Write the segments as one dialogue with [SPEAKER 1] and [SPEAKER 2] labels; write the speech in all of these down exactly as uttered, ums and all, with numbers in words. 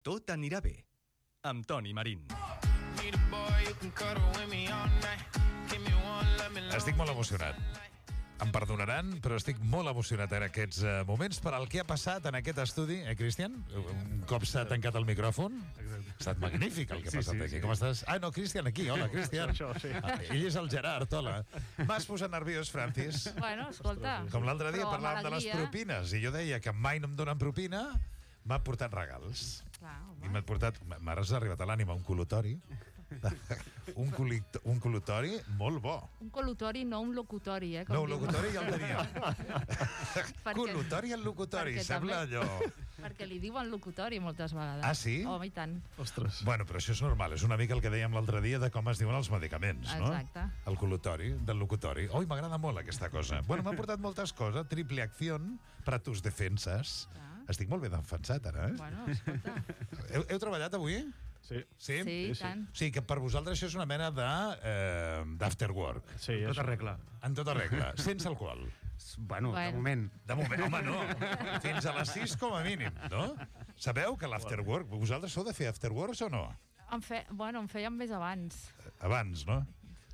[SPEAKER 1] Tot anirà bé, amb Toni Marín.
[SPEAKER 2] Estic molt emocionat. Em perdonaran, però estic molt emocionat en aquests uh, moments per al que ha passat en aquest estudi, eh, Cristian? Un cop s'ha tancat el micròfon. Ha estat magnífic el que ha
[SPEAKER 3] Sí,
[SPEAKER 2] passat
[SPEAKER 3] sí,
[SPEAKER 2] aquí.
[SPEAKER 3] sí.
[SPEAKER 2] Com estàs? Ah, no, Cristian, aquí. Hola, Cristian.
[SPEAKER 3] Això, sí.
[SPEAKER 2] Ah, ell és el Gerard, hola. M'has posat nerviós, Francis.
[SPEAKER 4] Bueno, escolta.
[SPEAKER 2] Com l'altre dia
[SPEAKER 4] però
[SPEAKER 2] parlàvem de les
[SPEAKER 4] alegria.
[SPEAKER 2] propines i jo deia que mai no em donen propina, m'ha portat regals.
[SPEAKER 4] Clar, home.
[SPEAKER 2] I m'ha portat... M'has arribat a l'ànima un col·lutori. un, colit, un col·lutori molt bo.
[SPEAKER 4] Un col·lutori, no un locutori, eh? com
[SPEAKER 2] No, un
[SPEAKER 4] diuen.
[SPEAKER 2] locutori ja el teníem.
[SPEAKER 4] Perquè-
[SPEAKER 2] Col·lutori al locutori,
[SPEAKER 4] perquè
[SPEAKER 2] sembla
[SPEAKER 4] també-
[SPEAKER 2] allò...
[SPEAKER 4] Perquè li diuen locutori moltes vegades.
[SPEAKER 2] Ah, sí?
[SPEAKER 4] Home, i tant.
[SPEAKER 3] Ostres.
[SPEAKER 2] Bueno, però això és normal, és una mica el que dèiem l'altre dia de com es diuen els medicaments, no?
[SPEAKER 4] Exacte.
[SPEAKER 2] El col·lutori, del locutori. Oi, m'agrada molt aquesta cosa. Bueno, m'ha portat moltes coses. Triple acción para tus defensas.
[SPEAKER 4] Ah.
[SPEAKER 2] Estic molt ben defensat, ara, eh?
[SPEAKER 4] Bueno, escolta.
[SPEAKER 2] Heu, heu treballat avui?
[SPEAKER 3] Sí.
[SPEAKER 2] Sí?
[SPEAKER 4] Sí, i
[SPEAKER 3] sí.
[SPEAKER 4] tant.
[SPEAKER 2] O sigui que per vosaltres això és una mena de eh, d'after work.
[SPEAKER 3] Sí,
[SPEAKER 5] Tota
[SPEAKER 3] això.
[SPEAKER 5] regla.
[SPEAKER 2] En tota regla, sense alcohol.
[SPEAKER 5] Bueno,
[SPEAKER 4] Bueno.
[SPEAKER 5] de moment.
[SPEAKER 2] De moment, home, no. Fins a les sis com a mínim, no? Sabeu que l'after work... Vosaltres sou de fer after works o no?
[SPEAKER 4] En fe... Bueno, en fèiem més abans.
[SPEAKER 2] Abans, no?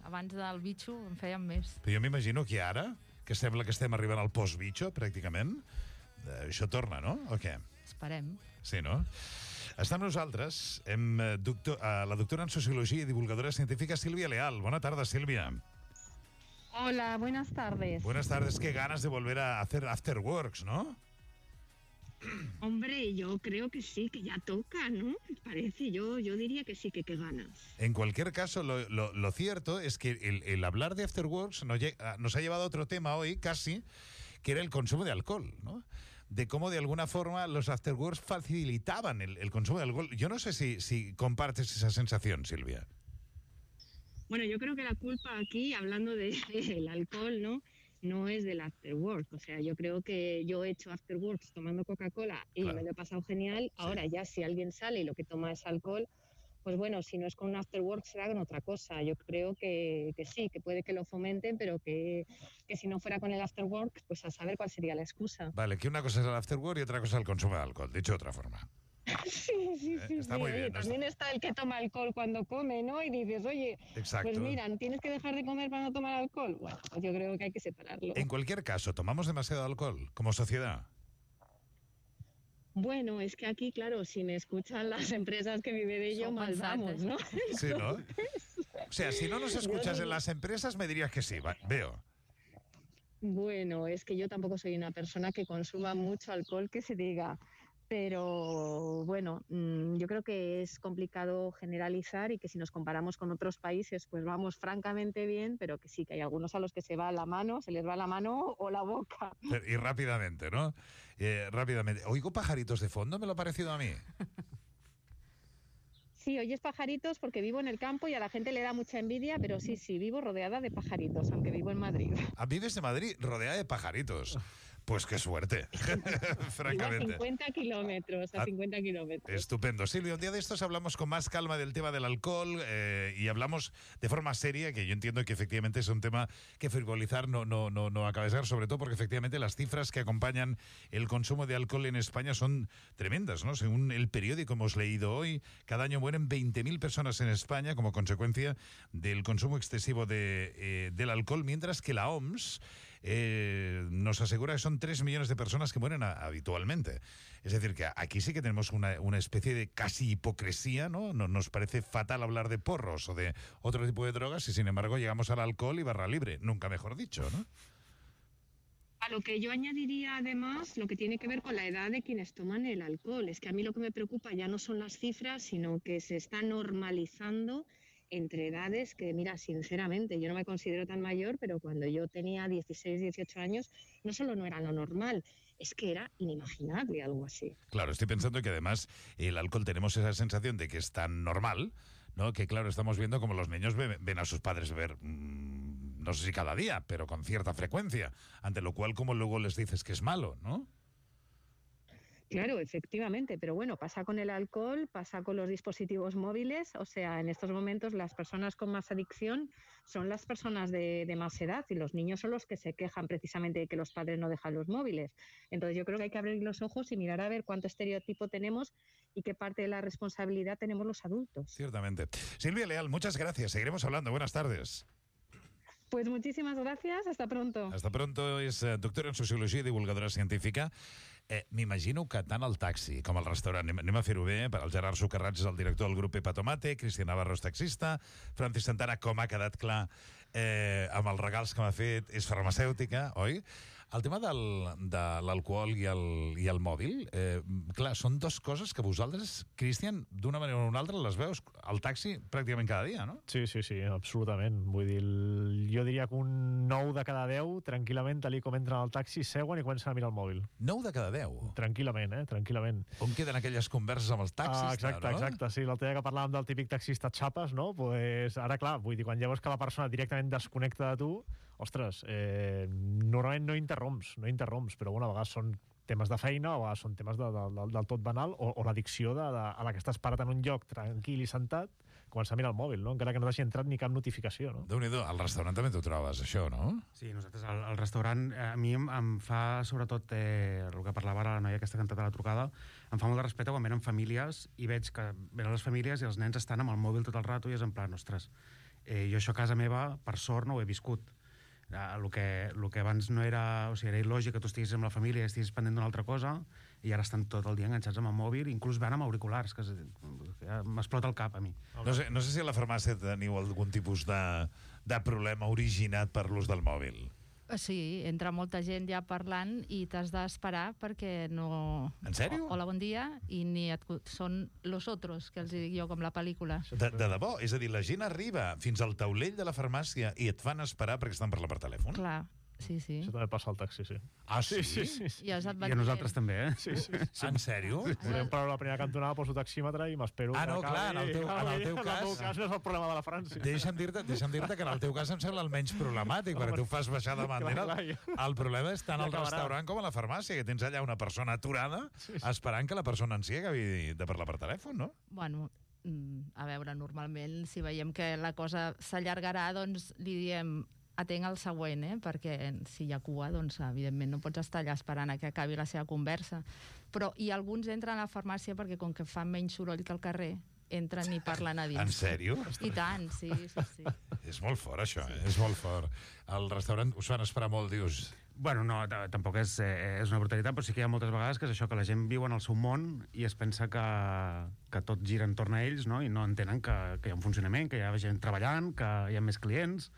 [SPEAKER 4] Abans del bitxo en fèiem més.
[SPEAKER 2] Però jo m'imagino que ara, que sembla que estem arribant al post-bitxo, pràcticament, eh, això torna, no? O què?
[SPEAKER 4] Esperem.
[SPEAKER 2] Sí, no? Està amb nosaltres hem, eh, doctor, eh, la doctora en Sociologia i divulgadora científica Sílvia Leal. Bona tarda, Sílvia.
[SPEAKER 6] Hola, buenas tardes.
[SPEAKER 2] Buenas tardes. Qué ganas de volver a hacer after works, ¿no?
[SPEAKER 6] Hombre, yo creo que sí, que ya toca, ¿no? ¿Te parece? Yo, yo diría que sí, que qué ganas.
[SPEAKER 2] En cualquier caso, lo, lo, lo cierto es que el, el hablar de after works nos, lle- nos ha llevado a otro tema hoy, casi, que era el consumo de alcohol, ¿no? De cómo de alguna forma los after works facilitaban el, el consumo de alcohol. Yo no sé si, si compartes esa sensación, Silvia.
[SPEAKER 6] Bueno, yo creo que la culpa aquí, hablando del de, alcohol, ¿no? No es del after work. O sea, yo creo que yo he hecho after works tomando Coca-Cola y
[SPEAKER 2] Claro.
[SPEAKER 6] me lo he pasado genial. Ahora ya si alguien sale y lo que toma es alcohol, pues bueno, si no es con un after work será con otra cosa. Yo creo que, que sí, que puede que lo fomenten, pero que, que si no fuera con el after work, pues a saber cuál sería la excusa.
[SPEAKER 2] Vale, que una cosa es el after work y otra cosa es el consumo de alcohol, dicho de otra forma.
[SPEAKER 6] Sí, sí, sí.
[SPEAKER 2] Está
[SPEAKER 6] sí.
[SPEAKER 2] muy bien,
[SPEAKER 6] Oye,
[SPEAKER 2] ¿no?
[SPEAKER 6] también está el que toma alcohol cuando come, ¿no? Y dices, oye,
[SPEAKER 2] Exacto.
[SPEAKER 6] pues mira, tienes que dejar de comer para no tomar alcohol. Bueno, pues yo creo que hay que separarlo.
[SPEAKER 2] En cualquier caso, ¿tomamos demasiado alcohol como sociedad?
[SPEAKER 6] Bueno, es que aquí, claro, si me escuchan las empresas que vive de ello,
[SPEAKER 4] Son
[SPEAKER 6] mal vamos,
[SPEAKER 4] pensantes.
[SPEAKER 6] ¿no?
[SPEAKER 2] Sí, ¿no? O sea, si no nos escuchas en las empresas, me dirías que sí, va, veo.
[SPEAKER 6] Bueno, es que yo tampoco soy una persona que consuma mucho alcohol, que se diga. Pero bueno, mm, yo creo que es complicado generalizar y que si nos comparamos con otros países, pues vamos francamente bien, pero que sí, que hay algunos a los que se va la mano, se les va la mano o la boca.
[SPEAKER 2] Y rápidamente, ¿no? Eh, rápidamente. Oigo pajaritos de fondo, me lo ha parecido a mí.
[SPEAKER 6] Sí, oyes pajaritos porque vivo en el campo y a la gente le da mucha envidia, pero sí, sí, vivo rodeada de pajaritos, aunque vivo en Madrid.
[SPEAKER 2] Ah, vives en Madrid, rodeada de pajaritos. Pues qué suerte,
[SPEAKER 6] Vivo a
[SPEAKER 2] francamente.
[SPEAKER 6] cincuenta kilómetros, a
[SPEAKER 2] Ah,
[SPEAKER 6] cincuenta kilómetros.
[SPEAKER 2] Estupendo. Silvia, un día de estos hablamos con más calma del tema del alcohol eh, y hablamos de forma seria, que yo entiendo que efectivamente es un tema que frivolizar no, no, no, no acaba de ser, sobre todo porque efectivamente las cifras que acompañan el consumo de alcohol en España son tremendas, ¿no? Según el periódico hemos leído hoy, cada año mueren veinte mil personas en España como consecuencia del consumo excesivo de, eh, del alcohol, mientras que la O M S eh, nos asegura que son tres millones de personas que mueren a, habitualmente. Es decir, que aquí sí que tenemos una, una especie de casi hipocresía, ¿no? No- Nos parece fatal hablar de porros o de otro tipo de drogas y sin embargo llegamos al alcohol y barra libre, nunca mejor dicho, ¿no?
[SPEAKER 6] A lo que yo añadiría además lo que tiene que ver con la edad de quienes toman el alcohol. Es que a mí lo que me preocupa ya no son las cifras, sino que se está normalizando entre edades que, mira, sinceramente, yo no me considero tan mayor, pero cuando yo tenía dieciséis, dieciocho años, no solo no era lo normal, es que era inimaginable algo así.
[SPEAKER 2] Claro, estoy pensando que además el alcohol tenemos esa sensación de que es tan normal, ¿no? Que claro, estamos viendo como los niños ven, ven a sus padres beber, mmm, no sé si cada día, pero con cierta frecuencia, ante lo cual como luego les dices que es malo, ¿no?
[SPEAKER 6] Claro, efectivamente, pero bueno, pasa con el alcohol, pasa con los dispositivos móviles, o sea, en estos momentos las personas con más adicción son las personas de, de más edad y los niños son los que se quejan precisamente de que los padres no dejan los móviles. Entonces yo creo que hay que abrir los ojos y mirar a ver cuánto estereotipo tenemos y qué parte de la responsabilidad tenemos los adultos.
[SPEAKER 2] Ciertamente. Silvia Leal, muchas gracias. Seguiremos hablando. Buenas tardes.
[SPEAKER 6] Pues muchísimas gracias, hasta pronto.
[SPEAKER 2] Hasta pronto. És eh, doctora en Sociologia i divulgadora científica. Eh, M'imagino que tant al taxi com al restaurant, anem, anem a fer-ho bé, per al Gerard Socarrats és el director del grup Pepa Tomate, Cristian Navarro és taxista, Francis Santana, com ha quedat clar eh, amb els regals que m'ha fet, és farmacèutica, oi? El tema del, de l'alcohol i, el, i el mòbil, eh, clar, són dues coses que vosaltres, Cristian, d'una manera o una altra les veus al taxi pràcticament cada dia, no?
[SPEAKER 3] Sí, sí, sí, absolutament. Vull dir, jo diria que un nou de cada deu, tranquil·lament, tal com entren al taxi, seuen i comencen a mirar el mòbil.
[SPEAKER 2] nou de cada deu?
[SPEAKER 3] Tranquil·lament, eh? Tranquil·lament.
[SPEAKER 2] On queden aquelles converses amb els taxistes,
[SPEAKER 3] ah, exacte,
[SPEAKER 2] no?
[SPEAKER 3] Exacte, sí. L'altre dia que parlàvem del típic taxista xapes, no? Pues ara, clar, vull dir, quan ja veus que la persona directament desconnecta de tu, ostres, eh, normalment no interromps, no interromps, però bueno, a vegades són temes de feina, o a vegades són temes de, de, de, del tot banal, o, o l'addicció de, de, a la que estàs parat en un lloc tranquil i sentat, comença a mirar el mòbil, no? Encara que no t'hagi entrat ni cap notificació, no?
[SPEAKER 2] Déu-n'hi-do, al restaurant també t'ho trobes, això, no?
[SPEAKER 5] Sí, nosaltres al, al restaurant, eh, a mi em, em fa, sobretot, eh, el que parlava ara la noia aquesta que ha cantat a la trucada, em fa molt de respecte quan venen famílies i veig que venen les famílies i els nens estan amb el mòbil tot el rato i és en plan, ostres, eh, jo això a casa meva, per sort, no ho he viscut. El que, el que abans no era... O sigui, era il·lògic que tu estiguis amb la família i estiguis pendent d'una altra cosa i ara estan tot el dia enganxats amb el mòbil, inclús van amb auriculars, que ja m'explota el cap a mi.
[SPEAKER 2] No sé, no sé si a la farmàcia teniu algun tipus de, de problema originat per l'ús del mòbil.
[SPEAKER 4] Sí, entra molta gent ja parlant i t'has d'esperar perquè no...
[SPEAKER 2] En sèrio?
[SPEAKER 4] Hola, bon dia, i ni et... són los otros, que els dic jo, com la pel·lícula.
[SPEAKER 2] De, de debò, és a dir, la gent arriba fins al taulell de la farmàcia i et fan esperar perquè estan parlant per telèfon?
[SPEAKER 4] Clar, sí, sí.
[SPEAKER 3] Això també passa al taxi, sí.
[SPEAKER 2] Ah, sí?
[SPEAKER 3] Sí, sí, sí.
[SPEAKER 4] I, els
[SPEAKER 5] I a nosaltres també, eh?
[SPEAKER 3] Sí, sí.
[SPEAKER 2] En sèrio?
[SPEAKER 3] Volem parar la primera cantonada, poso taxímetre i m'espero...
[SPEAKER 2] Ah, no,
[SPEAKER 3] que
[SPEAKER 2] clar, en el teu- en el teu
[SPEAKER 3] En el
[SPEAKER 2] cas-
[SPEAKER 3] meu cas no és el problema de la França.
[SPEAKER 2] Deixa'm dir-te deixa'm dir-te que en el teu cas em sembla el menys problemàtic, perquè tu fas baixar de bandera.
[SPEAKER 3] Clar, clar,
[SPEAKER 2] El problema és tant
[SPEAKER 3] Ja
[SPEAKER 2] al
[SPEAKER 3] acabarà.
[SPEAKER 2] restaurant com a la farmàcia, que tens allà una persona aturada esperant que la persona en si acabi de parlar per telèfon, no?
[SPEAKER 4] Bueno, mm, a veure, normalment, si veiem que la cosa s'allargarà, doncs li diem atenc el següent, eh? Perquè si hi ha cua, doncs evidentment no pots estar allà esperant a que acabi la seva conversa. Però i alguns entren a la farmàcia perquè com que fan menys soroll que al carrer, entren i parlen a dins.
[SPEAKER 2] En sèrio?
[SPEAKER 4] I tant, sí, sí, sí.
[SPEAKER 2] És molt fort, això, eh? És molt fort. Al restaurant us fan esperar molt, dius...
[SPEAKER 5] Bueno, no, t- tampoc és, eh, és una brutalitat, però sí que hi ha moltes vegades que és això, que la gent viu en el seu món i es pensa que, que tot gira entorn a ells, no? I no entenen que, que hi ha un funcionament, que hi ha gent treballant, que hi ha més clients,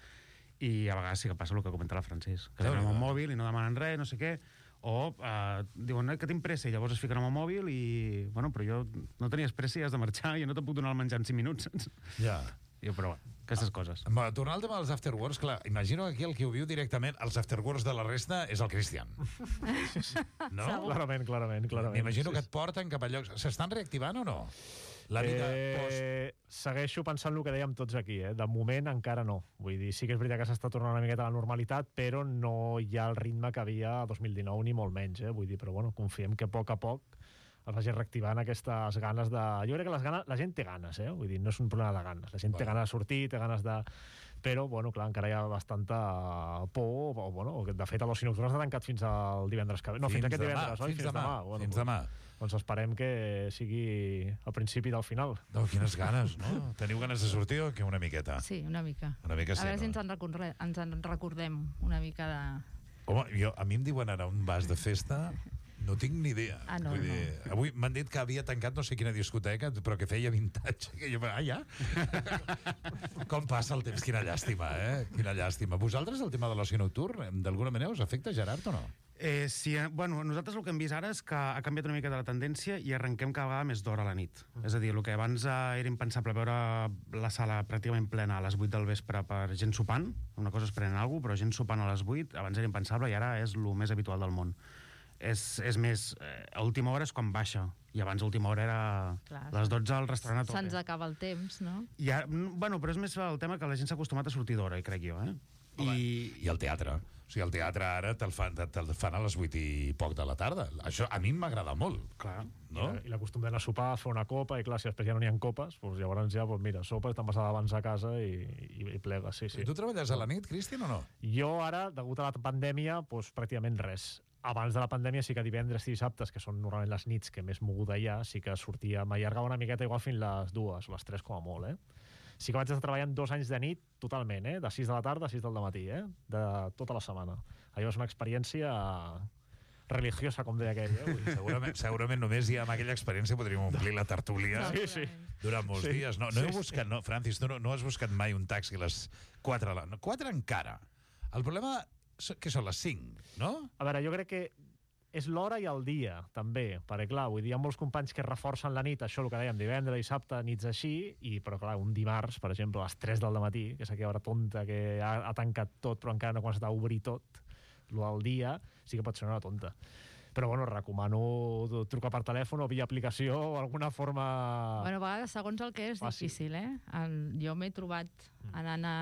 [SPEAKER 5] i a vegades sí que passa el que comenta la Francis, que
[SPEAKER 2] Déu-n'hi-do.
[SPEAKER 5] tenen el mòbil i no demanen res, no sé què, o eh, diuen eh, que tinc pressa i llavors es fiquen amb el mòbil i, bueno, però jo no tenies pressa i has de marxar, jo no te'n puc donar el menjar en cinc minuts, saps?
[SPEAKER 2] Ja.
[SPEAKER 5] Jo, però bueno, aquestes coses.
[SPEAKER 2] Bueno, tornant al tema dels afterworks, clar, imagino que aquí el que ho viu directament, els afterworks de la resta, és el Cristian. No?
[SPEAKER 4] Segur.
[SPEAKER 3] Clarament, clarament, clarament.
[SPEAKER 2] M'imagino
[SPEAKER 3] Sí,
[SPEAKER 2] que et porten cap a llocs... S'estan reactivant o no? La vida post...
[SPEAKER 3] eh, segueixo pensant el que dèiem tots aquí, eh? De moment encara no. Vull dir, sí que és veritat que s'està tornant una miqueta a la normalitat, però no hi ha el ritme que havia a dos mil dinou, ni molt menys, eh? Vull dir, però bueno, confiem que a poc a poc es vagi reactivant aquestes ganes de... Jo crec que les ganes, la gent té ganes, eh? Vull dir, no és un problema de ganes. La gent té
[SPEAKER 2] Bueno.
[SPEAKER 3] ganes de sortir, té ganes de... Però, bueno, clar, encara hi ha bastanta por, o, bueno, o que, de fet, l'oci nocturn està tancat fins al divendres que ve. No, fins,
[SPEAKER 2] Fins
[SPEAKER 3] aquest
[SPEAKER 2] demà,
[SPEAKER 3] divendres, oi?
[SPEAKER 2] fins demà,
[SPEAKER 3] Bueno,
[SPEAKER 2] fins
[SPEAKER 3] doncs-
[SPEAKER 2] demà.
[SPEAKER 3] Doncs esperem que sigui al principi del final.
[SPEAKER 2] No, quines ganes, no? Teniu ganes de sortir o que una miqueta?
[SPEAKER 4] Sí, una mica.
[SPEAKER 2] Una mica sí,
[SPEAKER 4] A veure si
[SPEAKER 2] no?
[SPEAKER 4] ens en, recordem, ens en recordem una mica de...
[SPEAKER 2] Home, jo, a mi em diuen anar a un vas de festa, no tinc ni idea.
[SPEAKER 4] Ah, no,
[SPEAKER 2] Vull dir, avui m'han dit que havia tancat no sé quina discoteca, però que feia vintage. Que jo, ah, ja? Com passa el temps? Quina llàstima, eh? Quina llàstima. Vosaltres, el tema de l'oci nocturn, d'alguna manera us afecta, Gerard, o no?
[SPEAKER 5] Eh, sí, eh, bueno, nosaltres el que hem vist ara és que ha canviat una mica de la tendència i arrenquem cada vegada més d'hora a la nit. És a dir, el que abans eh, era impensable veure la sala pràcticament plena a les vuit del vespre per gent sopant, una cosa és prenent alguna cosa, però gent sopant a les vuit, abans era impensable i ara és el més habitual del món. És, és més, eh, a última hora és quan baixa, i abans a última hora era
[SPEAKER 4] Clar,
[SPEAKER 5] les dotze al restaurant a tope.
[SPEAKER 4] Se'ns acaba el temps, no?
[SPEAKER 5] I ara, bueno, però és més el tema que la gent s'ha acostumat a sortir d'hora, crec jo, eh?
[SPEAKER 2] Home,
[SPEAKER 5] I,
[SPEAKER 2] I el teatre. O sigui, el teatre ara te'l fan, te'l fan a les vuit i poc de la tarda. Això a mi m'agrada molt.
[SPEAKER 5] Clar.
[SPEAKER 2] No?
[SPEAKER 3] I, la, i la costum d'anar a sopar, fer una copa, i clar, si després ja no n'hi ha copes, doncs llavors ja, doncs mira, sopes, te'n vas abans a casa i, i, i plegues, sí, sí.
[SPEAKER 2] I tu treballes a la nit, Cristian, o no?
[SPEAKER 3] Jo ara, degut a la pandèmia, doncs pràcticament res. Abans de la pandèmia sí que divendres i dissabtes, que són normalment les nits que més moguda hi ha, sí que sortia, m'allargava una miqueta igual fins les dues, les tres com a molt, eh? Sí que vaig estar treballant dos anys de nit totalment, eh? De sis de la tarda a sis del matí, eh? De tota la setmana. Allò és una experiència religiosa, com deia aquell, eh?
[SPEAKER 2] Segurament, segurament només ja amb aquella experiència podríem omplir la tertúlia
[SPEAKER 3] Sí, sí.
[SPEAKER 2] durant molts
[SPEAKER 3] Sí.
[SPEAKER 2] dies. No, no heu buscat, no, Francis, no, no has buscat mai un taxi a les quatre, a la, no, quatre encara. El problema, que són les cinc, no?
[SPEAKER 3] A veure, jo crec que és l'hora i el dia, també, perquè, clar, vull dir, hi ha molts companys que reforcen la nit, això el que dèiem, divendres, dissabte, nits així, i, però, clar, un dimarts, per exemple, a les tres del matí, que és aquella hora tonta que ha, ha tancat tot, però encara no ha començat a obrir tot, el del dia, sí que pot ser una hora tonta. Però, bueno, recomano trucar per telèfon o via aplicació o alguna forma...
[SPEAKER 4] Bueno, a vegades, segons el que és,
[SPEAKER 3] Fàcil.
[SPEAKER 4] difícil, eh? El, jo m'he trobat anant a,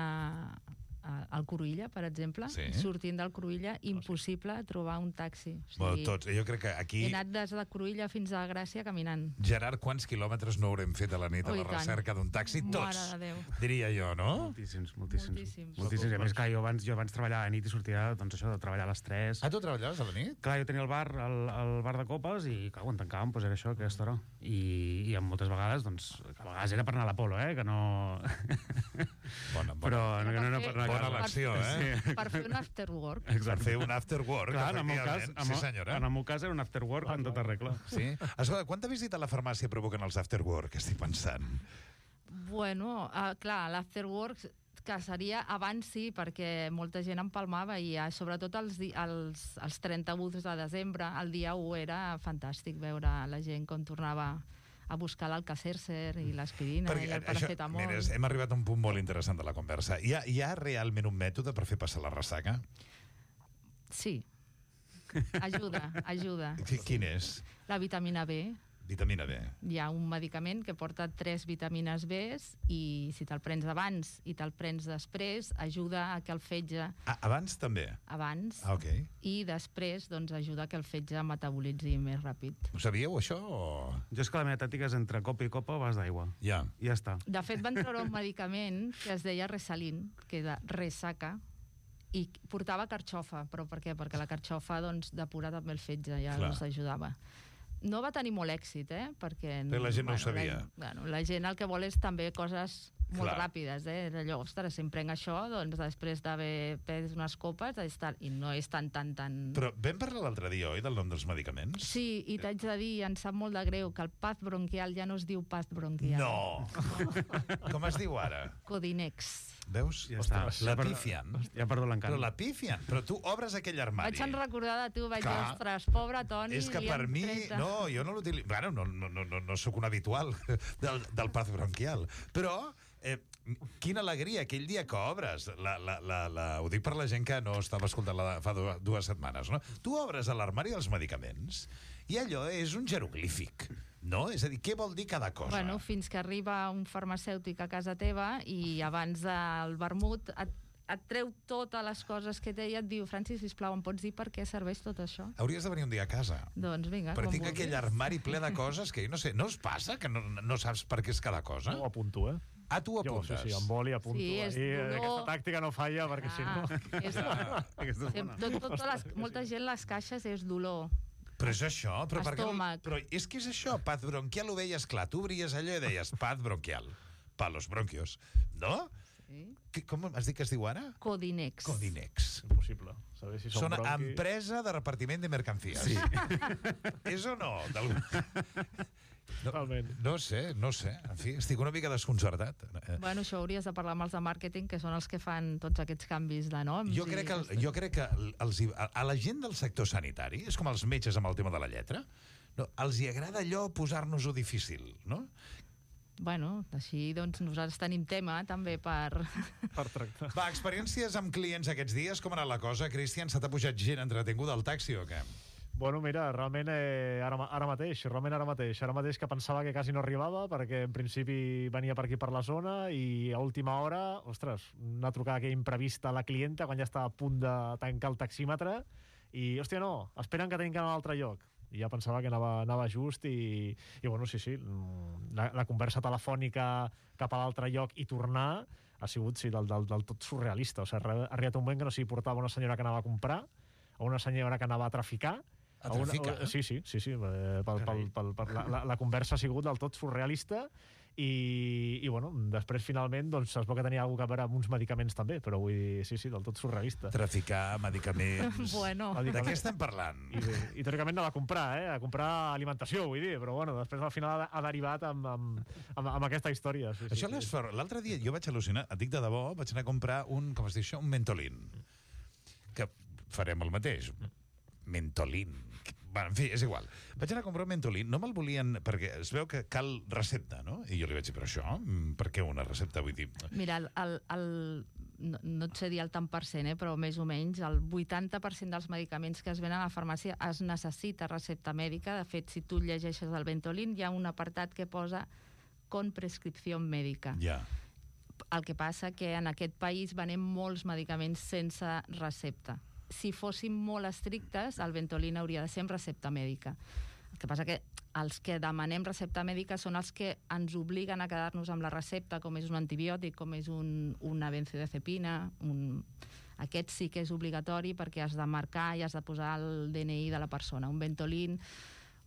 [SPEAKER 4] a, al Cruïlla, per exemple,
[SPEAKER 2] Sí.
[SPEAKER 4] sortint del Cruïlla, impossible trobar un taxi. O
[SPEAKER 2] Bueno,
[SPEAKER 4] sigui,
[SPEAKER 2] tots. Jo crec que aquí,
[SPEAKER 4] he anat des de Cruïlla fins a Gràcia caminant.
[SPEAKER 2] Gerard, quants quilòmetres no haurem fet a la nit a
[SPEAKER 4] Oh, i
[SPEAKER 2] la
[SPEAKER 4] tant.
[SPEAKER 2] recerca d'un taxi?
[SPEAKER 4] Mare
[SPEAKER 2] Tots,
[SPEAKER 4] de Déu.
[SPEAKER 2] diria jo, no?
[SPEAKER 5] Moltíssims, moltíssims.
[SPEAKER 4] Moltíssims.
[SPEAKER 5] Moltíssims. I a més, clar, jo abans, jo abans treballava a nit i sortia, doncs això, de treballar a les tres.
[SPEAKER 2] Ah, tu treballaves a la nit?
[SPEAKER 5] Clar, jo tenia el bar, el, el bar de copes, i clar, quan tancàvem, doncs era això, aquesta hora. I, i moltes vegades, doncs, que a vegades era per anar a l'Apolo, eh, que no...
[SPEAKER 2] Bona, bona,
[SPEAKER 5] Però no, no, no, per anar a
[SPEAKER 2] bona
[SPEAKER 5] casa.
[SPEAKER 2] elecció, eh?
[SPEAKER 4] Per fer un after work.
[SPEAKER 2] Per
[SPEAKER 5] Exacte.
[SPEAKER 2] fer un after work,
[SPEAKER 5] Clar, en el meu cas,
[SPEAKER 2] efectivament.
[SPEAKER 5] en,
[SPEAKER 2] Sí,
[SPEAKER 5] el-
[SPEAKER 2] senyora.
[SPEAKER 5] en el meu cas era un after work en tota regla.
[SPEAKER 2] Sí? Escolta, quanta visita a la farmàcia provoquen els after work, estic pensant?
[SPEAKER 4] Bueno, uh, clar, l'after work que seria abans sí, perquè molta gent empalmava i uh, sobretot els, di- els, els trenta-u de desembre, el dia u era fantàstic veure la gent com tornava a buscar l'Alka-Seltzer i l'aspirina i el paracetamol.
[SPEAKER 2] mira, hem arribat a un punt molt interessant de la conversa. Hi ha, hi ha realment un mètode per fer passar la ressaca?
[SPEAKER 4] Sí. Ajuda, ajuda.
[SPEAKER 2] Qui- Quin és?
[SPEAKER 4] La vitamina B.
[SPEAKER 2] Vitamina B.
[SPEAKER 4] Hi ha un medicament que porta tres vitamines B i si te'l prens abans i te'l prens després, ajuda a que el fetge
[SPEAKER 2] Ah, abans també?
[SPEAKER 4] abans
[SPEAKER 2] Ah, ok.
[SPEAKER 4] i després doncs, ajuda a que el fetge metabolitzi més ràpid.
[SPEAKER 2] Ho sabíeu, això? O...
[SPEAKER 5] Jo és que la meva tàctica és entre copa i copa o vas d'aigua.
[SPEAKER 2] Ja.
[SPEAKER 5] I ja està.
[SPEAKER 4] De fet, van treure un medicament que es deia Resalin, que era ressaca, i portava carxofa. Però per què? Perquè la carxofa doncs, depura també el fetge, ja
[SPEAKER 2] Clar.
[SPEAKER 4] els ajudava. No va tenir molt èxit, eh? Perquè,
[SPEAKER 2] Perquè la gent no ho sabia.
[SPEAKER 4] La, bueno, la gent el que vol és també coses molt
[SPEAKER 2] Clar.
[SPEAKER 4] ràpides, eh? Allò, ostres, si em prenc això, doncs després d'haver pres unes copes, és tal, i no és tan, tan, tan...
[SPEAKER 2] Però vam parlar l'altre dia, oi, del nom dels medicaments?
[SPEAKER 4] Sí, i t'haig de dir, em sap molt de greu, que el paz bronquial ja no es diu paz bronquial.
[SPEAKER 2] No! Com es diu ara?
[SPEAKER 4] Codinex.
[SPEAKER 2] Veus?
[SPEAKER 5] Ja està.
[SPEAKER 2] La pifian.
[SPEAKER 5] Ja perdo l'encant.
[SPEAKER 2] Però la pifian. Però tu obres aquell armari.
[SPEAKER 4] Vaig en recordar de tu, vaig dir,
[SPEAKER 2] Clar.
[SPEAKER 4] ostres, pobre Toni...
[SPEAKER 2] És que
[SPEAKER 4] li
[SPEAKER 2] per
[SPEAKER 4] han
[SPEAKER 2] mi...
[SPEAKER 4] tret-
[SPEAKER 2] No, jo no l'utilitzo... Bueno, no, no, no, no, no sóc un habitual del, del paz bronquial. Però... Eh, quina alegria, aquell dia que obres la, la, la, la, ho dic per la gent que no estava escoltant la, fa dues, dues setmanes, no? Tu obres a l'armari dels medicaments i allò és un jeroglífic, no? És a dir, què vol dir cada cosa?
[SPEAKER 4] Bueno, fins que arriba un farmacèutic a casa teva i abans del vermut et, et treu totes les coses que té i et diu, Francis, sisplau, em pots dir per què serveix tot això?
[SPEAKER 2] Hauries de venir un dia a casa.
[SPEAKER 4] Doncs vinga,
[SPEAKER 2] Però
[SPEAKER 4] com
[SPEAKER 2] tinc
[SPEAKER 4] vulguis.
[SPEAKER 2] aquell armari ple de coses que jo no sé, no us passa que no, no saps per què és cada cosa?
[SPEAKER 3] No ho apunto, eh?
[SPEAKER 2] Ah, tu ho
[SPEAKER 3] Jo, sí,
[SPEAKER 2] apuntes?
[SPEAKER 3] sí, amb boli apunto.
[SPEAKER 4] Sí, és
[SPEAKER 3] ahí,
[SPEAKER 4] dolor.
[SPEAKER 3] aquesta tàctica no falla, perquè si no...
[SPEAKER 4] Ah, és,
[SPEAKER 5] Aquesta és
[SPEAKER 4] sem-
[SPEAKER 5] bona.
[SPEAKER 4] tot, tot, les, molta gent les caixes és dolor.
[SPEAKER 2] Però és això, però, per què-
[SPEAKER 4] Estómac.
[SPEAKER 2] però és que és això, paz bronquial ho veies clar, tu obries allò i deies paz bronquial, pa los bronquios, no?
[SPEAKER 4] Sí.
[SPEAKER 2] Que, com has dit que es diu ara?
[SPEAKER 4] Codinex.
[SPEAKER 2] Codinex.
[SPEAKER 3] Impossible. Saber si són
[SPEAKER 2] Són
[SPEAKER 3] bronquis...
[SPEAKER 2] empresa de repartiment de mercancías. Sí. És o no? D'algun- No,
[SPEAKER 3] Totalment.
[SPEAKER 2] no sé, no sé. En fi, estic una mica desconcertat. Eh,
[SPEAKER 4] Bueno, això hauries de parlar amb els de màrqueting, que són els que fan tots aquests canvis de noms.
[SPEAKER 2] Jo
[SPEAKER 4] i
[SPEAKER 2] crec que, el,
[SPEAKER 4] aquestes-
[SPEAKER 2] jo crec que els, hi- a, a la gent del sector sanitari, és com els metges amb el tema de la lletra, no, els hi agrada allò posar-nos-ho difícil, no?
[SPEAKER 4] Bueno, així doncs nosaltres tenim tema també per...
[SPEAKER 3] Per tractar.
[SPEAKER 2] Va, experiències amb clients aquests dies, com ha anat la cosa? Cristian, se t'ha pujat gent entretinguda al taxi o què?
[SPEAKER 3] Bueno, mira, realment eh, ara, ma- ara mateix, realment ara mateix, ara mateix que pensava que quasi no arribava, perquè en principi venia per aquí per la zona i a última hora, ostres, una trucada que imprevista a la clienta quan ja estava a punt de tancar el taxímetre i, hòstia, no, esperen que tenim que anar a un altre lloc. I ja pensava que anava, anava just i, i bueno, sí, sí, la, la conversa telefònica cap a l'altre lloc i tornar ha sigut, sí, del, del, del tot surrealista. O sigui, ha arribat un moment que no s'hi portava una senyora que anava a comprar o una senyora que anava a traficar.
[SPEAKER 2] A traficar?
[SPEAKER 3] Una, sí, sí, sí, sí. Eh, pel, pel, pel, pel, la, la, la conversa ha sigut del tot surrealista i, i bueno, després finalment doncs, es veu que tenia alguna cosa a veure amb uns medicaments també, però vull dir, sí, sí, del tot surrealista.
[SPEAKER 2] Traficar medicaments...
[SPEAKER 4] Bueno.
[SPEAKER 2] De què estem parlant?
[SPEAKER 3] I, i teòricament anava a comprar, eh? A comprar alimentació, vull dir, però bueno, després al final ha, ha derivat amb, amb, amb, amb aquesta història. Sí,
[SPEAKER 2] Això
[SPEAKER 3] sí, sí.
[SPEAKER 2] l'altre dia jo vaig al·lucinar, et dic de debò, vaig anar a comprar un, com es diu això, un mentolín. Que farem el mateix. Mentolín. Bueno, en fi, és igual. Vaig anar a comprar un mentolín, no me'l volien, perquè es veu que cal recepta, no? I jo li vaig dir, però això, per què una recepta? Vull dir...
[SPEAKER 4] Mira, el, el, el, no, no et sé dir el tant per cent, eh, però més o menys el vuitanta per cent dels medicaments que es venen a la farmàcia es necessita recepta mèdica. De fet, si tu llegeixes el Ventolin, hi ha un apartat que posa con prescripció mèdica.
[SPEAKER 2] Ja.
[SPEAKER 4] El que passa que en aquest país venem molts medicaments sense recepta. Si fóssim molt estrictes, el Ventolin hauria de ser amb recepta mèdica. El que passa que els que demanem recepta mèdica són els que ens obliguen a quedar-nos amb la recepta, com és un antibiòtic, com és un, una benzodiazepina. Un... Aquest sí que és obligatori perquè has de marcar i has de posar el D N I de la persona. Un Ventolin,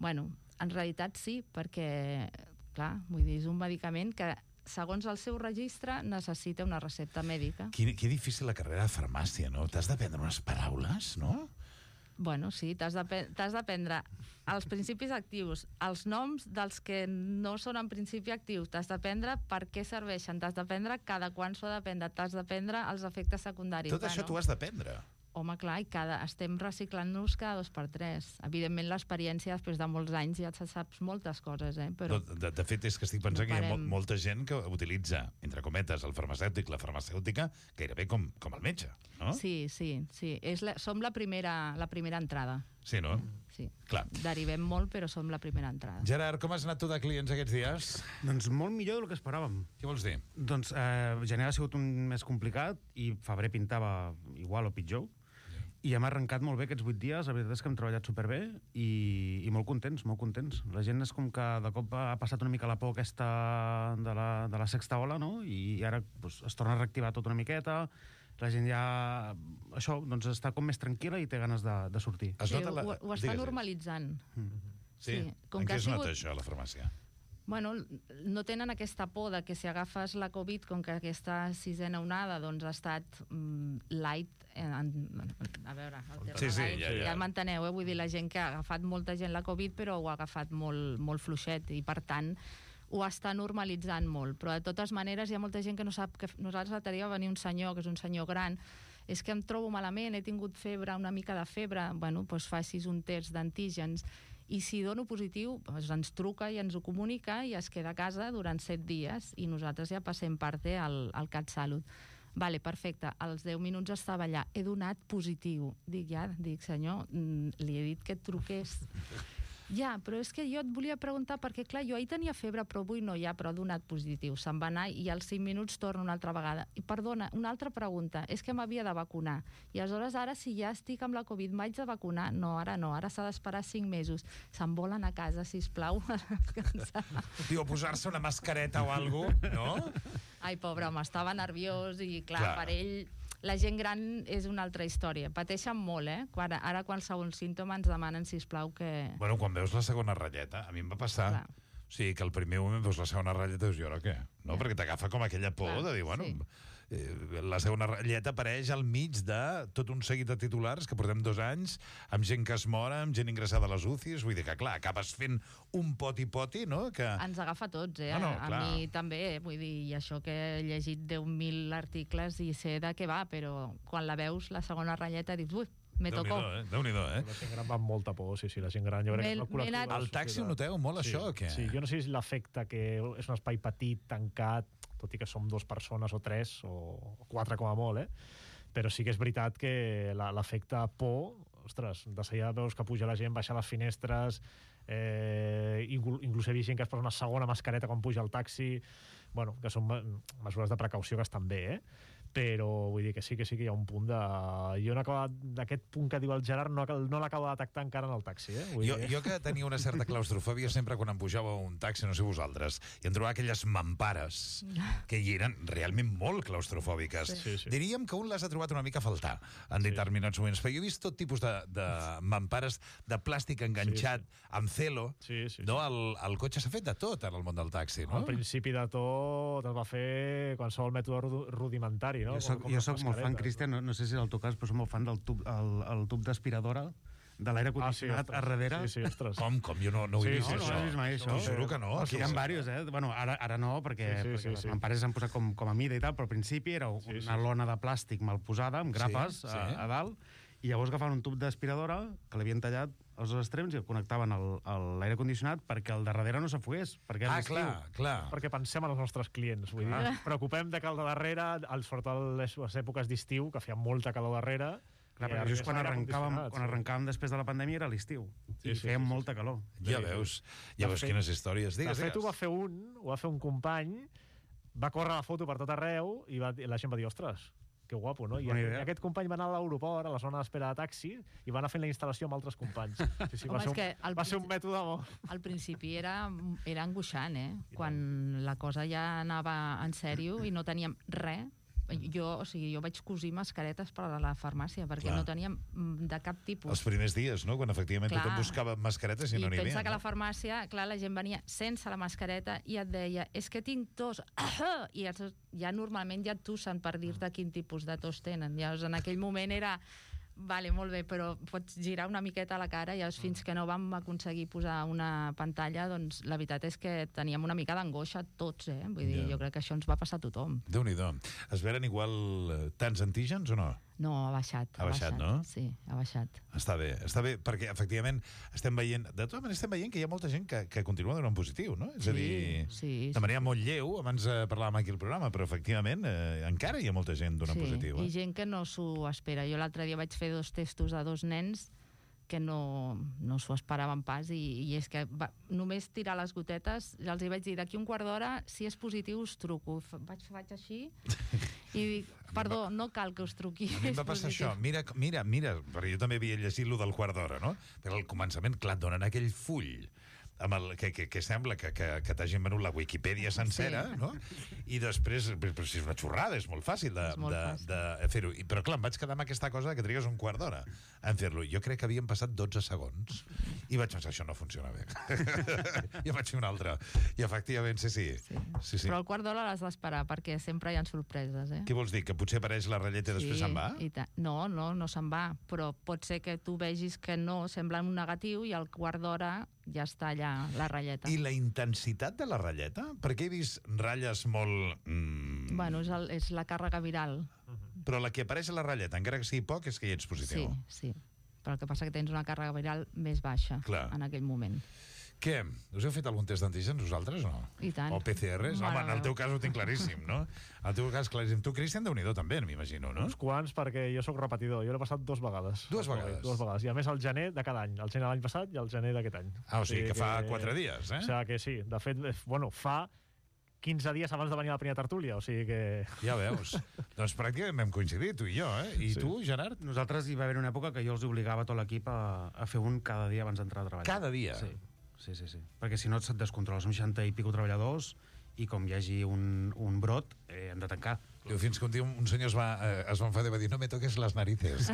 [SPEAKER 4] bueno, en realitat sí, perquè, clar, vull dir, és un medicament que segons el seu registre, necessita una recepta mèdica.
[SPEAKER 2] Que, que difícil la carrera de farmàcia, no? T'has d'aprendre unes paraules, no?
[SPEAKER 4] Bueno, sí, t'has d'aprendre els principis actius, els noms dels que no són en principi actius, t'has d'aprendre per què serveixen, t'has d'aprendre cada quan s'ho ha d'aprendre, t'has d'aprendre els efectes secundaris.
[SPEAKER 2] Tot això t'ho has d'aprendre.
[SPEAKER 4] Home, clar, i cada, estem reciclant-nos cada dos per tres. Evidentment, l'experiència, després de molts anys, ja saps moltes coses, eh? Però...
[SPEAKER 2] De, de, de fet, és que estic pensant
[SPEAKER 4] no
[SPEAKER 2] que hi ha
[SPEAKER 4] parem.
[SPEAKER 2] mo molta gent que utilitza, entre cometes, el farmacèutic, la farmacèutica, gairebé com, com el metge, no?
[SPEAKER 4] Sí, sí, sí. És la, som la primera, la primera entrada.
[SPEAKER 2] Sí, no?
[SPEAKER 4] Sí.
[SPEAKER 2] Clar.
[SPEAKER 4] Derivem molt, però som la primera entrada.
[SPEAKER 2] Gerard, com has anat tu de clients aquests dies?
[SPEAKER 5] Doncs molt millor del que esperàvem.
[SPEAKER 2] Què vols dir?
[SPEAKER 5] Doncs eh, gener ha sigut un mes complicat i febrer pintava igual o pitjor. I hem arrencat molt bé aquests vuit dies, la veritat és que hem treballat superbé i, i molt contents, molt contents. La gent és com que de cop ha passat una mica la por aquesta de la, de la sexta ola, no? I ara doncs, es torna a reactivar tot una miqueta, la gent ja, això, doncs està com més tranquil·la i té ganes de, de sortir.
[SPEAKER 2] Es
[SPEAKER 4] Sí,
[SPEAKER 2] nota la...
[SPEAKER 4] ho, ho està
[SPEAKER 2] Digues,
[SPEAKER 4] normalitzant.
[SPEAKER 2] Sí?
[SPEAKER 4] Sí, com
[SPEAKER 2] en
[SPEAKER 4] que
[SPEAKER 2] què
[SPEAKER 4] ha
[SPEAKER 2] es nota
[SPEAKER 4] sigut-
[SPEAKER 2] això a la farmàcia?
[SPEAKER 4] Bueno, no tenen aquesta por de que si agafes la Covid, com que aquesta sisena onada doncs, ha estat mm, light, eh, en, a veure, el terme
[SPEAKER 2] Sí, sí,
[SPEAKER 4] light,
[SPEAKER 2] ja, ja.
[SPEAKER 4] ja m'enteneu, eh? Vull dir, la gent que ha agafat molta gent la Covid, però ho ha agafat molt, molt fluixet, i per tant ho està normalitzant molt. Però de totes maneres hi ha molta gent que no sap que nosaltres l'altre dia va venir un senyor, que és un senyor gran, és que em trobo malament, he tingut febre, una mica de febre, bueno, doncs facis un test d'antígens, i si dono positiu, doncs ens truca i ens ho comunica i es queda a casa durant set dies i nosaltres ja passem parte al, al CatSalut. Vale, perfecte, als deu minuts estava allà, he donat positiu. Dic, ja, dic, senyor, mm, li he dit que et truqués. Ja, però és que jo et volia preguntar, perquè clar, jo ahir tenia febre, però avui no, ja, però ha donat positiu. Se'n va anar i als cinc minuts torna una altra vegada. I perdona, una altra pregunta, és que m'havia de vacunar. I aleshores ara, si ja estic amb la Covid, m'haig de vacunar? No, ara no, ara s'ha d'esperar cinc mesos. Se'n volen a casa, sisplau, a descansar.
[SPEAKER 2] Diu, posar-se una mascareta o alguna cosa, no?
[SPEAKER 4] Ai, pobre home, estava nerviós i clar,
[SPEAKER 2] Clar.
[SPEAKER 4] per ell... La gent gran és una altra història. Pateixen molt, eh? Quan, ara qualsevol símptoma ens demanen, sisplau, que...
[SPEAKER 2] Bueno, quan veus la segona ratlleta, a mi em va passar...
[SPEAKER 4] Clar.
[SPEAKER 2] O sigui, que el primer moment veus la segona ratlleta i dius, i ara què? No?
[SPEAKER 4] Ja.
[SPEAKER 2] Perquè t'agafa com aquella por
[SPEAKER 4] Clar,
[SPEAKER 2] de dir, bueno...
[SPEAKER 4] sí.
[SPEAKER 2] Eh, la segona ratlleta apareix al mig de tot un seguit de titulars que portem dos anys, amb gent que es mora, amb gent ingressada a les U C Is, vull dir que, clar, acabes fent un poti-poti, no? Que...
[SPEAKER 4] Ens agafa a tots, eh?
[SPEAKER 2] No, no,
[SPEAKER 4] a
[SPEAKER 2] clar.
[SPEAKER 4] mi també, eh? Vull dir, i això que he llegit deu mil articles i sé de què va, però quan la veus, la segona ratlleta, dius, ui, me tocó.
[SPEAKER 2] Déu-n'hi-do, eh? Déu-n'hi-do, eh?
[SPEAKER 3] La gent gran va amb molta por, sí, sí, la gent gran. Jo crec que és el
[SPEAKER 4] M'he-
[SPEAKER 3] col·lectiu
[SPEAKER 4] m'he anat-
[SPEAKER 3] de la
[SPEAKER 2] Al taxi
[SPEAKER 3] societat.
[SPEAKER 2] noteu molt
[SPEAKER 3] Sí,
[SPEAKER 2] això, o què?
[SPEAKER 3] Sí, jo no sé si l'efecte que és un espai petit, tancat, tot i que som dues persones o tres, o quatre com a molt, eh? Però sí que és veritat que la- l'efecte por ostres, de seguida veus que puja la gent, baixa les finestres, eh, inclús he vist gent que es posa una segona mascareta quan puja al taxi, bueno, que són mesures de precaució que estan bé, eh? Però vull dir que sí, que sí que hi ha un punt de... Jo no acabo d'aquest punt que diu el Gerard no, no l'acabo de detectar encara en el taxi, eh? Vull
[SPEAKER 2] Jo,
[SPEAKER 3] dir...
[SPEAKER 2] jo que tenia una certa claustrofòbia sempre quan em pujava a un taxi, no sé vosaltres, i em trobava aquelles mampares que hi eren realment molt claustrofòbiques.
[SPEAKER 3] Sí, sí.
[SPEAKER 2] Diríem que un les ha trobat una mica a faltar en
[SPEAKER 3] Sí.
[SPEAKER 2] determinats moments, però jo he vist tot tipus de, de mampares de plàstic enganxat
[SPEAKER 3] Sí,
[SPEAKER 2] amb celo.
[SPEAKER 3] Sí, sí, sí.
[SPEAKER 2] No? El, el cotxe s'ha fet de tot en el món del taxi, no?
[SPEAKER 3] Al principi de tot es va fer qualsevol mètode ru- rudimentari, no?
[SPEAKER 5] Jo soc,
[SPEAKER 3] Com- com
[SPEAKER 5] jo
[SPEAKER 3] les
[SPEAKER 5] soc molt fan,
[SPEAKER 3] mascaretes,
[SPEAKER 5] Cristian, no, no sé si és el teu cas, però soc molt fan del tub, el, el tub d'aspiradora de l'aire condicionat
[SPEAKER 3] ostres.
[SPEAKER 5] a darrere.
[SPEAKER 3] Sí, sí, ostres.
[SPEAKER 2] Com, com? Jo no, no ho he
[SPEAKER 3] Sí,
[SPEAKER 2] vist,
[SPEAKER 3] sí,
[SPEAKER 5] no,
[SPEAKER 2] això.
[SPEAKER 5] no has vist mai això?
[SPEAKER 2] T'ho juro que no.
[SPEAKER 3] No,
[SPEAKER 2] Aquí
[SPEAKER 5] Hi ha
[SPEAKER 2] és-
[SPEAKER 5] diversos, eh? Bueno, ara, ara no, perquè,
[SPEAKER 3] Sí, sí,
[SPEAKER 5] perquè
[SPEAKER 3] sí,
[SPEAKER 5] les
[SPEAKER 3] sí.
[SPEAKER 5] mampares s'han posat com, com a mida i tal, però al principi era una
[SPEAKER 3] Sí, sí.
[SPEAKER 5] lona de plàstic mal posada, amb grapes
[SPEAKER 2] Sí,
[SPEAKER 5] a,
[SPEAKER 2] sí.
[SPEAKER 5] a dalt, i llavors agafaven un tub d'aspiradora que l'havien tallat als dos extrems i el connectaven al, a l'aire condicionat perquè el de darrere no s'afogués, perquè era
[SPEAKER 2] Ah,
[SPEAKER 5] l'estiu.
[SPEAKER 2] clar, clar.
[SPEAKER 3] Perquè pensem en els nostres clients, vull dir, ens preocupem de que el de darrere, al sobretot a les, les èpoques d'estiu, que feia molta calor darrere,
[SPEAKER 5] Clar,
[SPEAKER 3] i
[SPEAKER 5] perquè
[SPEAKER 3] ara
[SPEAKER 5] just quan
[SPEAKER 3] és aire
[SPEAKER 5] arrencàvem,
[SPEAKER 3] condicionat,
[SPEAKER 5] quan arrencàvem després de la pandèmia era l'estiu,
[SPEAKER 3] Sí,
[SPEAKER 5] i
[SPEAKER 3] sí,
[SPEAKER 5] feia
[SPEAKER 3] sí, sí,
[SPEAKER 5] molta calor.
[SPEAKER 2] Ja veus, ja
[SPEAKER 3] De
[SPEAKER 2] veus
[SPEAKER 3] fet-
[SPEAKER 2] quines històries.
[SPEAKER 3] De
[SPEAKER 2] Digues,
[SPEAKER 3] fet, ho va
[SPEAKER 2] digues.
[SPEAKER 3] fer un, ho va fer un company, va córrer la foto per tot arreu i va, i la gent va dir, ostres, que guapo, no? I
[SPEAKER 5] Bona
[SPEAKER 3] aquest,
[SPEAKER 5] idea.
[SPEAKER 3] aquest company va anar a l'aeroport, a la zona d'espera de taxi, i va anar fent la instal·lació amb altres companys. Sí, sí,
[SPEAKER 4] Home,
[SPEAKER 3] va, ser
[SPEAKER 4] és que
[SPEAKER 3] un,
[SPEAKER 4] al
[SPEAKER 3] va ser un
[SPEAKER 4] principi-
[SPEAKER 3] mètode molt...
[SPEAKER 4] Al principi era, era angoixant, eh? Quan la cosa ja anava en sèrio i no teníem res. Jo, o sigui, jo vaig cosir mascaretes per a la farmàcia, perquè
[SPEAKER 2] Clar.
[SPEAKER 4] no teníem mm, de cap tipus.
[SPEAKER 2] Els primers dies, no? Quan efectivament
[SPEAKER 4] Clar.
[SPEAKER 2] tothom buscava mascaretes i,
[SPEAKER 4] I
[SPEAKER 2] no n'hi havia.
[SPEAKER 4] pensa que a la
[SPEAKER 2] no?
[SPEAKER 4] farmàcia, clar, la gent venia sense la mascareta i et deia, és que tinc tos, i ja, ja normalment ja et tossen per dir-te quin tipus de tos tenen. Llavors, en aquell moment era, vale, molt bé, però pots girar una miqueta la cara i llavors, fins que no vam aconseguir posar una pantalla, doncs la veritat és que teníem una mica d'angoixa tots, eh? Vull dir,
[SPEAKER 2] Ja.
[SPEAKER 4] jo crec que això ens va passar a tothom.
[SPEAKER 2] Déu-n'hi-do. Es veren igual eh, tants antígens o no?
[SPEAKER 4] No, ha baixat.
[SPEAKER 2] Ha baixat, no?
[SPEAKER 4] Sí, ha baixat.
[SPEAKER 2] Està bé, està bé, perquè efectivament estem veient, de totes maneres estem veient que hi ha molta gent que, que continua donant positiu, no? És a dir,
[SPEAKER 4] sí,
[SPEAKER 2] de manera molt lleu, abans eh, parlàvem aquí al programa, però efectivament eh, encara hi ha molta gent donant
[SPEAKER 4] sí,
[SPEAKER 2] positiu.
[SPEAKER 4] i
[SPEAKER 2] Eh?
[SPEAKER 4] gent que no s'ho espera. Jo l'altre dia vaig fer dos testos a dos nens que no, no s'ho esperaven pas i, i és que va, només tirar les gotetes, ja els hi vaig dir d'aquí un quart d'hora, si és positiu us truco. F- Vaig, faig així i dic, perdó, no cal que us truqui.
[SPEAKER 2] A mi em va
[SPEAKER 4] és
[SPEAKER 2] passar
[SPEAKER 4] positiu.
[SPEAKER 2] això. Mira, mira, mira, perquè jo també havia llegit lo del quart d'hora, no? Però al començament, clar, et donen aquell full amb el, que, que, que sembla que, que, que t'hagin venut la Wikipedia sencera,
[SPEAKER 4] Sí.
[SPEAKER 2] no? I després, però, però si és una xorrada, és molt fàcil de,
[SPEAKER 4] És molt
[SPEAKER 2] de,
[SPEAKER 4] fàcil.
[SPEAKER 2] de fer-ho. I- Però clar, em vaig quedar amb aquesta cosa que trigues un quart d'hora en fer-lo. Jo crec que havien passat dotze segons i vaig pensar, això no funciona bé. I vaig fer un altre. I efectivament, sí, sí.
[SPEAKER 4] Sí.
[SPEAKER 2] sí, sí.
[SPEAKER 4] Però el quart d'hora l'has d'esperar perquè sempre hi ha sorpreses, eh?
[SPEAKER 2] Què vols dir? Que potser apareix la ratlleta i després se'n va?
[SPEAKER 4] I ta- no, no, no se'n va, però pot ser que tu vegis que no, sembla un negatiu i al quart d'hora ja està allà la ratlleta.
[SPEAKER 2] I la intensitat de la ratlleta? Perquè he vist ratlles molt... Mm,
[SPEAKER 4] Bueno, és, el, és la càrrega viral.
[SPEAKER 2] però la que apareix a la ratlleta, encara que sigui poc, és que hi ets
[SPEAKER 4] Sí,
[SPEAKER 2] positiu.
[SPEAKER 4] sí. Però el que passa que tens una càrrega viral més baixa
[SPEAKER 2] Clar.
[SPEAKER 4] en aquell moment.
[SPEAKER 2] Què? Us heu fet algun test d'antígens vosaltres o no?
[SPEAKER 4] I tant.
[SPEAKER 2] O P C Rs?
[SPEAKER 4] Mare
[SPEAKER 2] Home, en el
[SPEAKER 4] meva.
[SPEAKER 2] teu cas ho tinc claríssim, no? En el teu cas claríssim. Tu, Cristian, Déu-n'hi-do també, m'imagino, no?
[SPEAKER 3] Uns quants, perquè jo sóc repetidor. Jo l'he passat dos vegades.
[SPEAKER 2] Dues
[SPEAKER 3] El Covid,
[SPEAKER 2] vegades?
[SPEAKER 3] Dues vegades. I a més el gener de cada any. El gener de l'any passat i el gener d'aquest any.
[SPEAKER 2] Ah, o sigui que fa quatre dies, eh?
[SPEAKER 3] O sigui que sí. De fet, eh, bueno, fa quinze dies abans de venir a la primera tertúlia. O sigui que...
[SPEAKER 2] Ja veus. Doncs pràcticament vam coincidir, tu i jo, eh? I
[SPEAKER 3] Sí.
[SPEAKER 2] tu, Gerard?
[SPEAKER 5] Nosaltres hi va haver una època que jo els obligava a tot l'equip a, a fer un cada dia abans d'entrar a treballar.
[SPEAKER 2] Cada dia?
[SPEAKER 5] Sí, sí, sí. sí. Perquè si no se't descontrola. Som seixanta i pico treballadors i com hi hagi un, un brot, eh, hem de tancar.
[SPEAKER 2] Diu, fins que un dia un senyor es va, eh, es va enfadar i va dir no me toques les narices.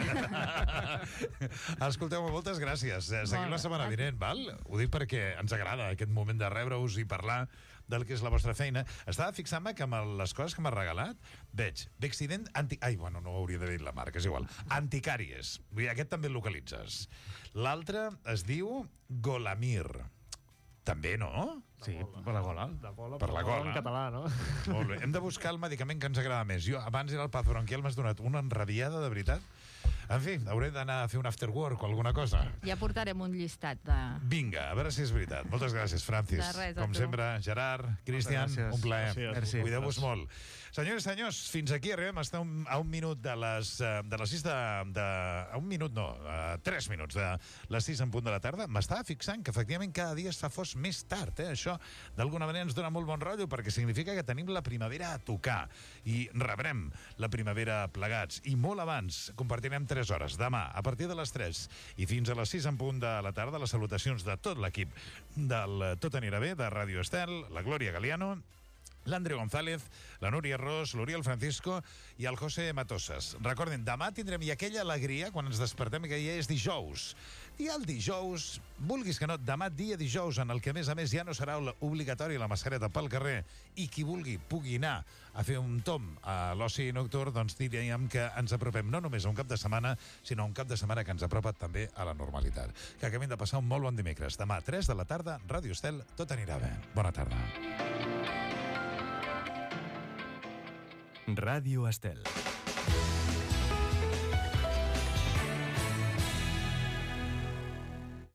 [SPEAKER 2] Escolteu-me, moltes gràcies. Eh, Seguim la setmana vinent, val? Ho dic perquè ens agrada aquest moment de rebre-us i parlar del que és la vostra feina. Estava fixant-me que amb el- les coses que m'ha regalat veig Vexident anti... Ai, bueno, no hauria de dir la marca, és igual. Anticàries. Vull dir, aquest també el localitzes. L'altre es diu Golamir. També, no?
[SPEAKER 5] Sí, per la gola.
[SPEAKER 3] De gola,
[SPEAKER 2] Per la gola.
[SPEAKER 3] En català, no?
[SPEAKER 2] Molt bé. Hem de buscar el medicament que ens agrada més. Jo abans era el paz bronquial, m'has donat una enrabiada, de veritat. En fi, hauré d'anar a fer un after work o alguna cosa.
[SPEAKER 4] Ja portarem un llistat de...
[SPEAKER 2] Vinga, a veure si és veritat. Moltes gràcies, Francis.
[SPEAKER 4] De res, a
[SPEAKER 2] Com
[SPEAKER 4] tu.
[SPEAKER 2] sempre, Gerard, Cristian,
[SPEAKER 5] gràcies.
[SPEAKER 2] un plaer.
[SPEAKER 3] Gràcies.
[SPEAKER 5] Merci.
[SPEAKER 2] Cuideu-vos molt. Senyors i senyors, fins aquí arribem. Estem un, a un minut de les, eh, de les sis de, de... A un minut, no, a tres minuts de les sis en punt de la tarda. M'estava fixant que, efectivament, cada dia es fa fos més tard. Eh? Això, d'alguna manera, ens dona molt bon rotllo perquè significa que tenim la primavera a tocar i rebrem la primavera plegats. I molt abans compartirem tres hores. Demà, a partir de les tres i fins a les sis en punt de la tarda, les salutacions de tot l'equip del Tot anirà bé, de Ràdio Estel, la Glòria Galiano, l'Andreu González, la Núria Ros, l'Oriol Francisco i el José Matosas. Recordin, demà tindrem i aquella alegria quan ens despertem que ja és dijous. I el dijous, vulguis que no, demà dia dijous, en el que a més a més ja no serà obligatori la mascareta pel carrer i qui vulgui pugui anar a fer un tom a l'oci nocturn, doncs diríem que ens apropem no només a un cap de setmana, sinó a un cap de setmana que ens apropa també a la normalitat. Que acabem de passar un molt bon dimecres. Demà, tres de la tarda, Ràdio Estel, Tot anirà bé. Bona tarda.
[SPEAKER 1] Radio Estel.